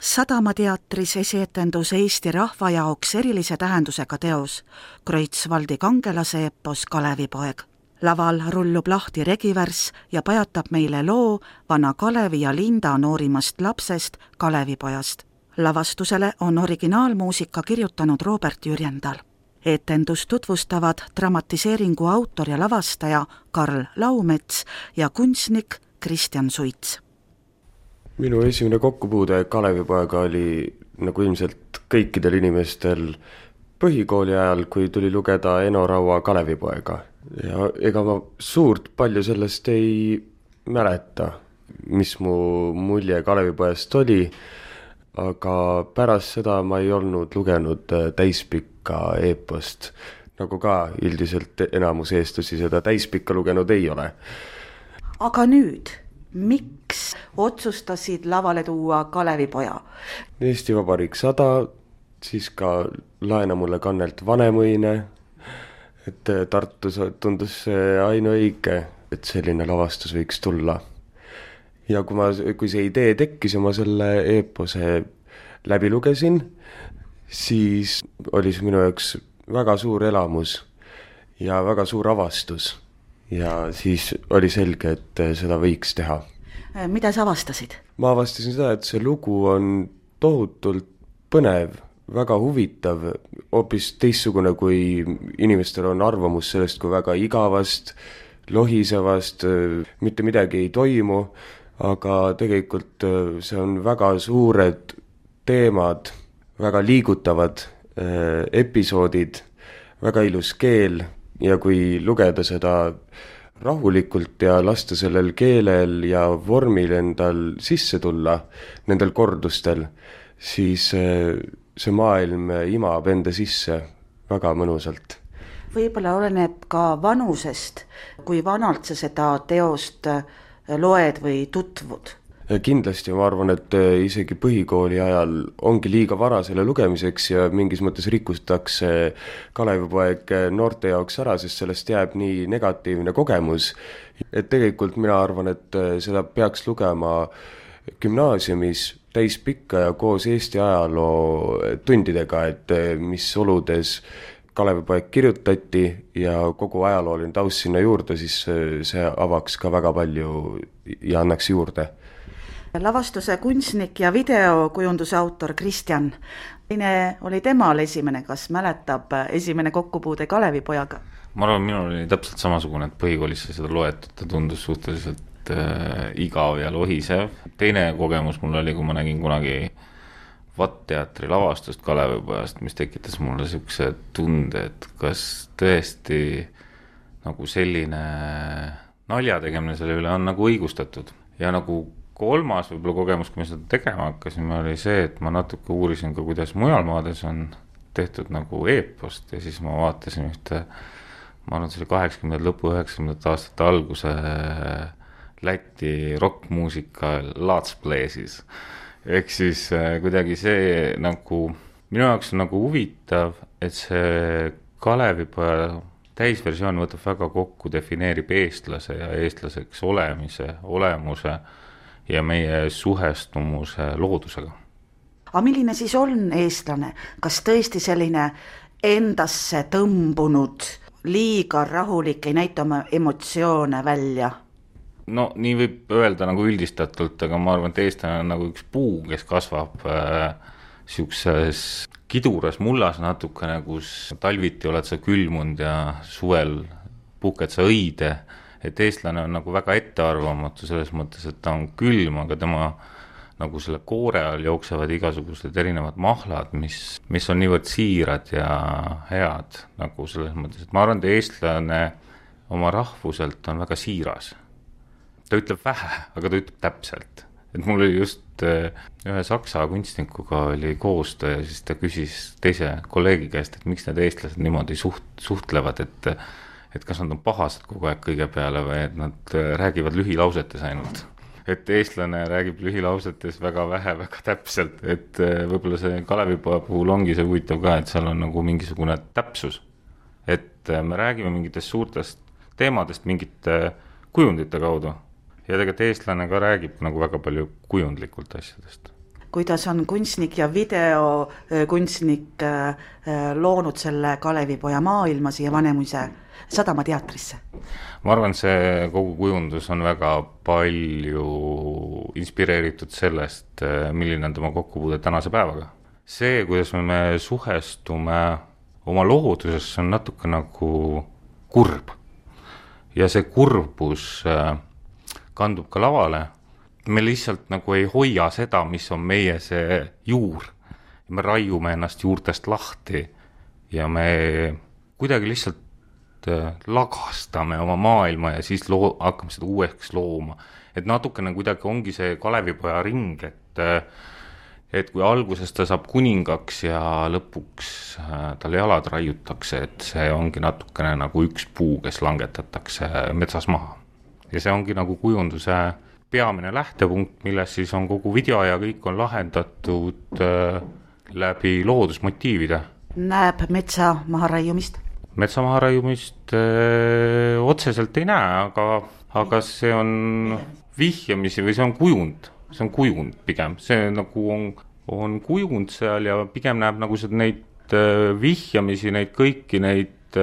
Sadamateatris esietendus Eesti rahva jaoks erilise tähendusega teos, Kreutzwaldi kangelase epos Kalevipoeg. Laval rullub lahti regivärss ja pajatab meile loo vana Kalevi ja Linda noorimast lapsest Kalevipojast. Lavastusele on originaalmuusika kirjutanud Robert Jürjendal. Etendust tutvustavad dramatiseeringu autor ja lavastaja Karl Laumets ja kunstnik Kristjan Suits. Minu esimene kokkupuude Kalevipoega oli nagu ilmselt kõikidel inimestel põhikooli ajal, kui tuli lugeda Eno Raua Kalevipoega. Ja ega ma suurt palju sellest ei mäleta, mis mu mulje Kalevipojast oli, aga pärast seda ma ei olnud lugenud täispikka eepost, nagu ka üldiselt enamus eestlasi seda täispikka lugenud ei ole. Aga nüüd, miks otsustasid lavale tuua Kalevipoja? Eesti Vabariik 100, siis ka Laena mulle kannelt Vanemõine, et Tartus tundus see ainuõige, et selline lavastus võiks tulla. Ja kui see idee tekkis ja ma selle eepose läbi lugesin, siis oli see minu jaoks väga suur elamus ja väga suur avastus. Ja siis oli selge, et seda võiks teha. Mida sa avastasid? Ma avastasin seda, et see lugu on tohutult põnev, väga huvitav, hoopis teistsugune, kui inimestel on arvamus sellest, kui väga igavast, lohisevast, mitte midagi ei toimu, aga tegelikult see on väga suured teemad, väga liigutavad episoodid, väga ilus keel ja kui lugeda seda rahulikult ja lasta sellel keelel ja vormil endal sisse tulla, nendel kordustel, siis see maailm imab enda sisse väga mõnusalt. Võib-olla oleneb ka vanusest, kui vanalt sa seda teost loed või tutvud? Kindlasti ma arvan, et isegi põhikooli ajal ongi liiga vara selle lugemiseks ja mingis mõttes rikutakse Kalevipoeg noorte jaoks ära, sest sellest jääb nii negatiivne kogemus. Et tegelikult mina arvan, et seda peaks lugema gümnaasiumis täispikka ja koos Eesti ajaloo tundidega, et mis oludes Kalevipoeg kirjutati ja kogu ajalooline taust sinna juurde, siis see avaks ka väga palju ja annaks juurde. Lavastuse kunstnik ja videokujunduse autor Kristjan. Teine oli temal esimene, kas mäletab esimene kokkupuude Kalevipojaga? Ma arvan, minul oli täpselt samasugune, et põhikoolisse seda loetud, ta tundus suhteliselt igav ja lohisev. Teine kogemus mul oli, kui ma nägin kunagi VAT-teatri lavastust Kalevipojast, mis tekitas mulle sellise tunde, et kas tõesti nagu selline naljategemine selle üle on nagu õigustatud. Ja nagu kolmas võib-olla kogemus, kui me seda tegema hakkasime, oli see, et ma natuke uurisin ka, kuidas mujal maades on tehtud nagu eepost ja siis ma vaatasin ühte, ma arvan, see oli 80. lõpu 90. aastate alguse Läti rockmuusika Let's Play'sis. Ehk siis kuidagi see nagu, minu jaoks on nagu huvitav, et see Kalevipoja täisversioon võtab väga kokku, defineerib eestlase ja eestlaseks olemise, olemuse ja meie suhestumuse loodusega. Aga milline siis on eestlane? Kas tõesti selline endasse tõmbunud, liiga rahulik, ei näita oma emotsioone välja? No nii võib öelda nagu üldistatult, aga ma arvan, et eestlane on nagu üks puu, kes kasvab siukses kiduras mullas natukene, kus talviti oled sa külmunud ja suvel puhked sa õide. Et eestlane on nagu väga ettearvamatu selles mõttes, et ta on külm, aga tema nagu selle koore all jooksevad igasugused erinevad mahlad, mis on niivõrd siirad ja head nagu selles mõttes, et ma arvan, et eestlane oma rahvuselt on väga siiras. Ta ütleb vähe, aga ta ütleb täpselt. Et mul oli just ühe saksa kunstnikuga oli koostöö ja siis ta küsis teise kolleegi käest, et miks need eestlased niimoodi suhtlevad, et kas nad on pahased kogu aeg kõige peale või et nad räägivad lühilausetes ainult. Et eestlane räägib lühilausetes väga vähe, väga täpselt, et võib-olla see Kalevipoja puhul ongi see huvitav ka, et seal on nagu mingisugune täpsus. Et me räägime mingitest suurtest teemadest mingite kujundite kaudu ja tegelikult eestlane ka räägib nagu väga palju kujundlikult asjadest. kuidas on kunstnik ja videokunstnik loonud selle Kalevipoja maailma siia Vanemuise sadamateatrisse? Ma arvan, see kogu kujundus on väga palju inspireeritud sellest, milline on tema kokkupuude tänase päevaga. See, kuidas me suhestume oma looduses, on natuke nagu kurb. Ja see kurbus kandub ka lavale. Me lihtsalt nagu ei hoia seda, mis on meie see juur. Me raiume ennast juurtest lahti ja me kuidagi lihtsalt lagastame oma maailma ja siis hakkame seda uueks looma. Et natukene kuidagi ongi see Kalevipoja ring, et kui alguses ta saab kuningaks ja lõpuks tal jalad raiutakse, et see ongi natukene nagu üks puu, kes langetatakse metsas maha. Ja see ongi nagu kujunduse peamine lähtepunkt, milles siis on kogu video ja kõik on lahendatud läbi loodusmotiivide. Näeb metsa maharaiumist? Metsa maharaiumist otseselt ei näe, aga see on vihjamisi või see on kujund. See on kujund pigem. See nagu on kujund seal ja pigem näeb nagu neid vihjamisi, neid kõiki neid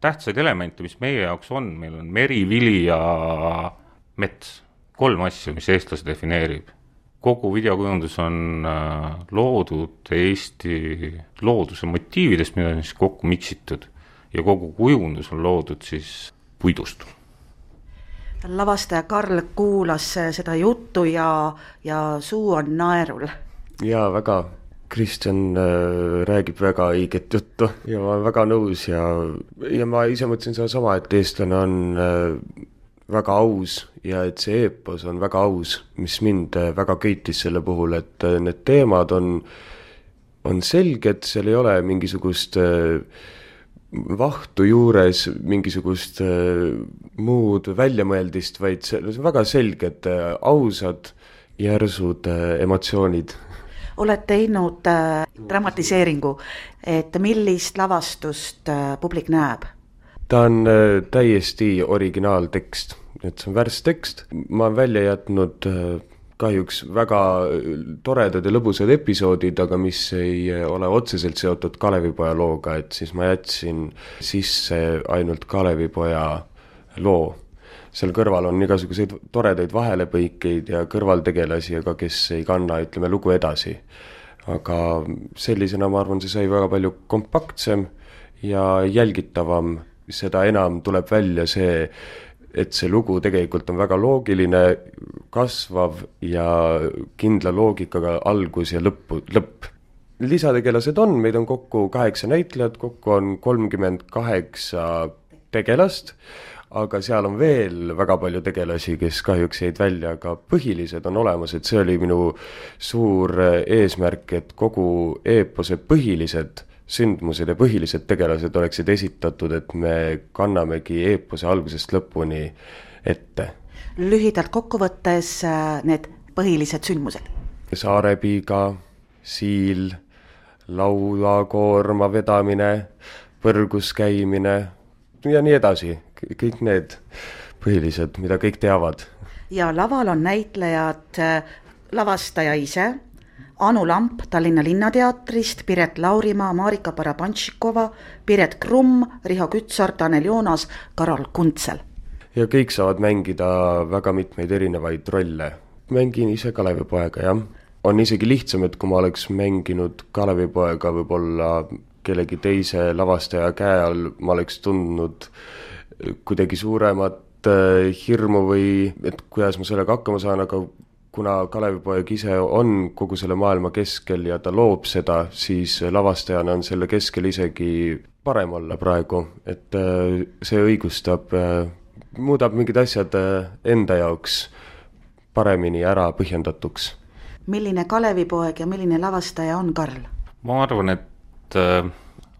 tähtsaid elemente, mis meie jaoks on. Meil on meri, vili ja mets. 3 asju, mis eestlase defineerib. Kogu videokujundus on loodud Eesti looduse motiividest, mida on siis kokku miksitud. Ja kogu kujundus on loodud siis puidust. Lavastaja Karl kuulas seda juttu ja suu on naerul. Jaa, väga. Kristjan räägib väga õiget juttu ja ma olen väga nõus ja ma ise mõtlesin seda sama, et eestlane on väga aus ja et see eepos on väga aus, mis mind väga köitis selle puhul, et need teemad on selged, seal ei ole mingisugust vahtu juures, mingisugust muud väljamõeldist, vaid see on väga selged, ausad, järsud emotsioonid. Oled teinud dramatiseeringu, et millist lavastust publik näeb? Ta on täiesti originaaltekst, et see on värstekst. Ma olen välja jätnud kahjuks väga toredad ja lõbusad episoodid, aga mis ei ole otseselt seotud Kalevipoja looga, et siis ma jätsin sisse ainult Kalevipoja loo. Seal kõrval on igasuguseid toredaid vahelepõikeid ja kõrvaltegelasi, aga kes ei kanna, ütleme, lugu edasi. Aga sellisena ma arvan, see sai väga palju kompaktsem ja jälgitavam. Seda enam tuleb välja see, et see lugu tegelikult on väga loogiline, kasvav ja kindla loogikaga algus ja lõpp. Lisategelased on, meid on kokku 8 näitlejat, kokku on 38 tegelast, aga seal on veel väga palju tegelasi, kes kahjuks jäid välja, aga põhilised on olemas, et see oli minu suur eesmärk, et kogu eepose põhilised sündmused ja põhilised tegelased oleksid esitatud, et me kannamegi eepose algusest lõpuni ette. Lühidalt kokkuvõttes need põhilised sündmused. Saarepiiga, siil, laulakoorma vedamine, põrgus käimine ja nii edasi. Kõik need põhilised, mida kõik teavad. Ja laval on näitlejad lavastaja ise, Anu Lamp Tallinna Linnateatrist, Piret Laurimaa, Marika Parabantšikova, Piret Krumm, Riho Kütsar, Tanel Joonas, Karol Kuntsel. Ja kõik saavad mängida väga mitmeid erinevaid rolle. Mängin ise Kalevipoega, jah. On isegi lihtsam, et kui ma oleks mänginud Kalevipoega võib-olla kellegi teise lavastaja käe all, ma oleks tundnud kuidagi suuremat hirmu või et kuidas ma sellega hakkama saan, aga kuna Kalevipoeg ise on kogu selle maailma keskel ja ta loob seda, siis lavastajana on selle keskel isegi parem olla praegu, et see õigustab, muudab mingid asjad enda jaoks paremini ära põhjendatuks. Milline Kalevipoeg ja milline lavastaja on Karl? Ma arvan, et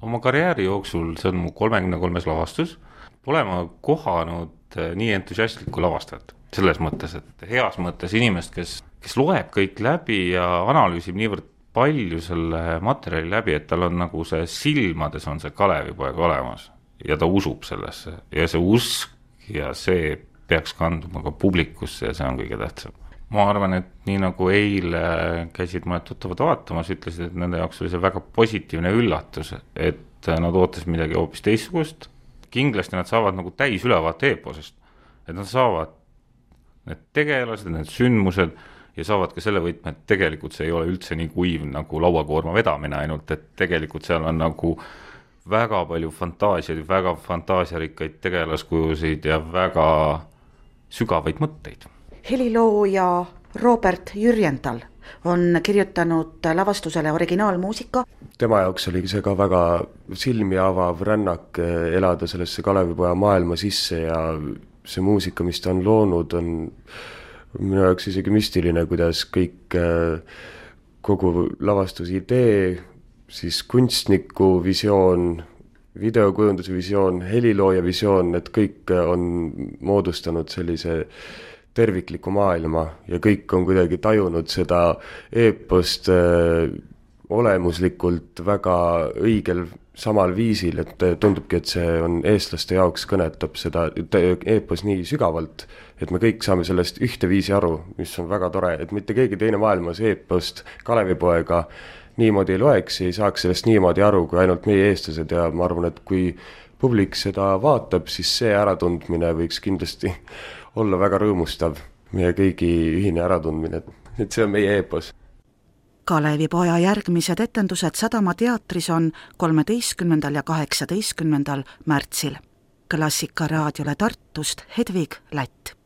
oma karjääri jooksul, see on mu 33 lavastus, pole ma kohanud nii entusiastlikku lavastajat. Selles mõttes, et heas mõttes inimest, kes loeb kõik läbi ja analüüsib niivõrd palju selle materjali läbi, et tal on nagu see silmades on see Kalevipoeg olemas ja ta usub sellesse ja see usk ja see peaks kanduma ka publikusse ja see on kõige tähtsam. ma arvan, et nii nagu eile käisid mõned tuttavad vaatamas, ütlesid, et nende jaoks oli see väga positiivne üllatus, et nad ootasid midagi hoopis teistsugust. Kindlasti nad saavad nagu täis ülevaate eeposest, et nad saavad need tegelased, need sündmused ja saavad ka selle võtme, et tegelikult see ei ole üldse nii kuiv nagu lauakoorma vedamine ainult, et tegelikult seal on nagu väga palju fantaasiaid, väga fantaasiarikkaid tegelaskujusid ja väga sügavaid mõtteid. Helilooja Robert Jürjendal on kirjutanud lavastusele originaalmuusika. Tema jaoks oli see ka väga silmi avav rännak elada sellesse Kalevipoja maailma sisse ja see muusika, mis ta on loonud, on minu jaoks isegi müstiline, kuidas kõik, kogu lavastuse idee, siis kunstniku visioon, videokujunduse visioon, helilooja visioon, et kõik on moodustanud sellise tervikliku maailma ja kõik on kuidagi tajunud seda eepost olemuslikult väga õigel samal viisil, et tundubki, et see on eestlaste jaoks kõnetab seda eepos nii sügavalt, et me kõik saame sellest ühteviisi aru, mis on väga tore, et mitte keegi teine maailmas eepost Kalevipoega niimoodi ei loeks ja ei saaks sellest niimoodi aru, kui ainult meie eestlased ja ma arvan, et kui publik seda vaatab, siis see äratundmine võiks kindlasti olla väga rõõmustav, meie kõigi ühine äratundmine, et see on meie eepos. Kalevipoja järgmised etendused Sadama teatris on 13. ja 18. märtsil. Klassika raadiole Tartust Hedvig Lätt.